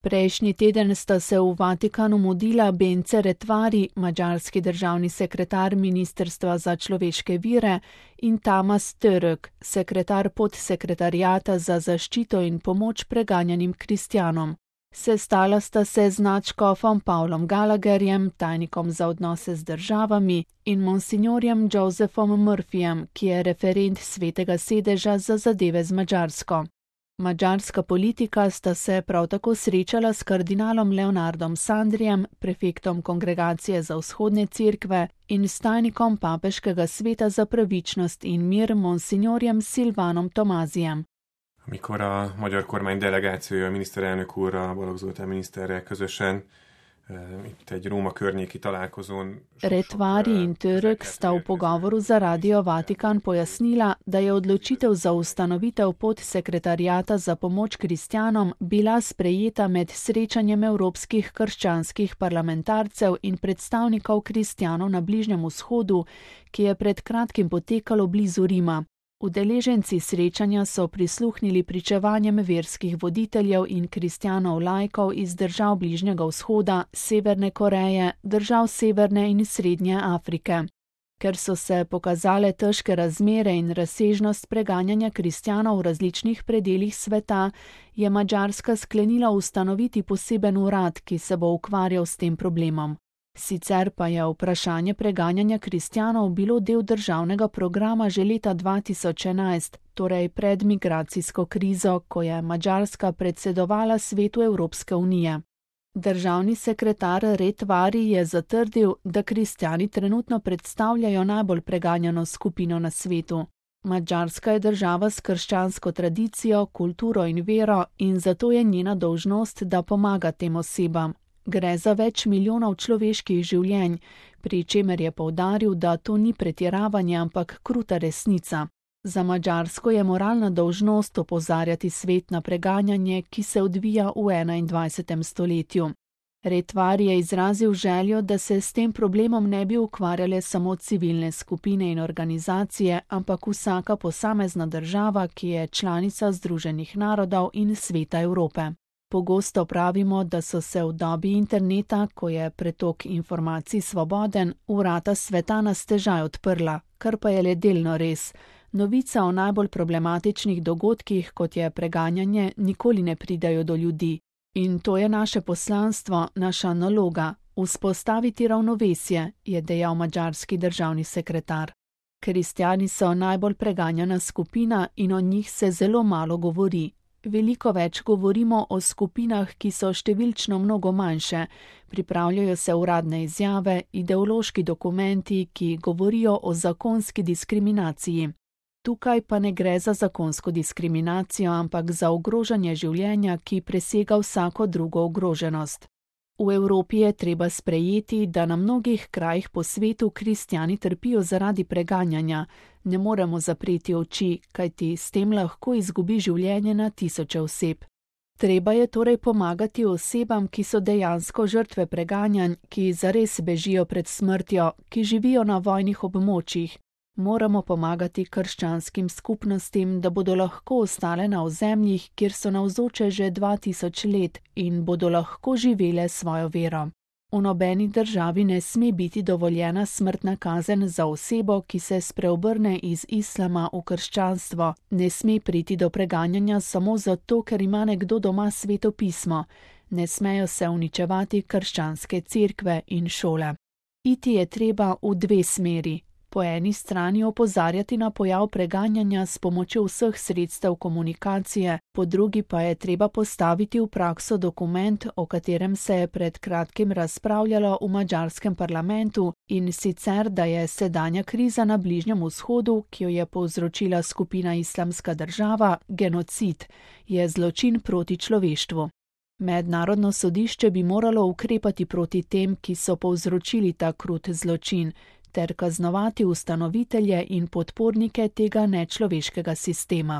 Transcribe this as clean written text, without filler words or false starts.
Prejšnji teden sta se v Vatikanu mudila Bence Retvari, madžarski državni sekretar Ministrstva za človeške vire, in Tamas Török, sekretar podsekretariata za zaščito in pomoč preganjanim kristjanom. Sestala sta se z nadškofom Pavlom Gallagherjem, tajnikom za odnose z državami, in monsignorjem Josephom Murphyjem, ki je referent Svetega sedeža za zadeve z Madžarsko. Madžarska politika sta se prav tako srečala s kardinalom Leonardom Sandrijem, prefektom Kongregacije za vzhodne cerkve, in s tajnikom Papeškega sveta za pravičnost in mir monsignorjem Silvánom Tomázijem. Amikor a magyar kormány delegációja, a miniszterelnök úrral, Balogh Zoltán miniszterrel közösen itt egy Róma környéki találkozón. Retvari in Török sta v pogovoru za Radio Vatikan pojasnila, da je odločitev za ustanovitev podsekretariata za pomoč kristjanom bila sprejeta med srečanjem evropskih krščanskih parlamentarcev in predstavnikov kristjanov na Bližnjem vzhodu, ki je pred kratkim potekalo blizu Rima. Udeleženci srečanja so prisluhnili pričevanjem verskih voditeljev in kristjanov laikov iz držav Bližnjega vzhoda, Severne Koreje, držav Severne in Srednje Afrike. Ker so se pokazale težke razmere in razsežnost preganjanja kristjanov v različnih predelih sveta, je Madžarska sklenila ustanoviti poseben urad, ki se bo ukvarjal s tem problemom. Sicer pa je vprašanje preganjanja kristjanov bilo del državnega programa že leta 2011, torej pred migracijsko krizo, ko je Madžarska predsedovala Svetu Evropske unije. Državni sekretar Retvari je zatrdil, da kristjani trenutno predstavljajo najbolj preganjano skupino na svetu. Madžarska je država s krščansko tradicijo, kulturo in vero in zato je njena dolžnost, da pomaga tem osebam. Gre za več milijonov človeških življenj, pri čemer je poudaril, da to ni pretiravanje, ampak kruta resnica. Za Madžarsko je moralna dolžnost opozarjati svet na preganjanje, ki se odvija v 21. stoletju. Retvari je izrazil željo, da se s tem problemom ne bi ukvarjale samo civilne skupine in organizacije, ampak vsaka posamezna država, ki je članica Združenih narodov in Sveta Evrope. Pogosto pravimo, da so se v dobi interneta, ko je pretok informacij svoboden, vrata sveta na stežaj odprla, kar pa je le delno res. Novica o najbolj problematičnih dogodkih, kot je preganjanje, nikoli ne pridajo do ljudi. In to je naše poslanstvo, naša naloga, vzpostaviti ravnovesje, je dejal madžarski državni sekretar. Kristjani so najbolj preganjana skupina in o njih se zelo malo govori. Veliko več govorimo o skupinah, ki so številčno mnogo manjše, pripravljajo se uradne izjave, ideološki dokumenti, ki govorijo o zakonski diskriminaciji. Tukaj pa ne gre za zakonsko diskriminacijo, ampak za ogrožanje življenja, ki presega vsako drugo ogroženost. V Evropi je treba sprejeti, da na mnogih krajih po svetu kristjani trpijo zaradi preganjanja. Ne moremo zapreti oči, kajti s tem lahko izgubi življenje na tisoče oseb. Treba je torej pomagati osebam, ki so dejansko žrtve preganjanj, ki zares bežijo pred smrtjo, ki živijo na vojnih območjih. Moramo pomagati krščanskim skupnostim, da bodo lahko ostale na ozemljih, kjer so navzoče že 2000 let in bodo lahko živele svojo vero. V nobeni državi ne sme biti dovoljena smrtna kazen za osebo, ki se spreobrne iz islama v krščanstvo. Ne sme priti do preganjanja samo zato, ker ima nekdo doma Sveto pismo. Ne smejo se uničevati krščanske cerkve in šole. Iti je treba v dve smeri. Po eni strani opozarjati na pojav preganjanja s pomočjo vseh sredstev komunikacije, po drugi pa je treba postaviti v prakso dokument, o katerem se je pred kratkim razpravljalo v madžarskem parlamentu, in sicer, da je sedanja kriza na Bližnjem vzhodu, ki jo je povzročila skupina Islamska država, genocid, je zločin proti človeštvu. Mednarodno sodišče bi moralo ukrepati proti tem, ki so povzročili ta krut zločin, ter kaznovati ustanovitelje in podpornike tega nečloveškega sistema.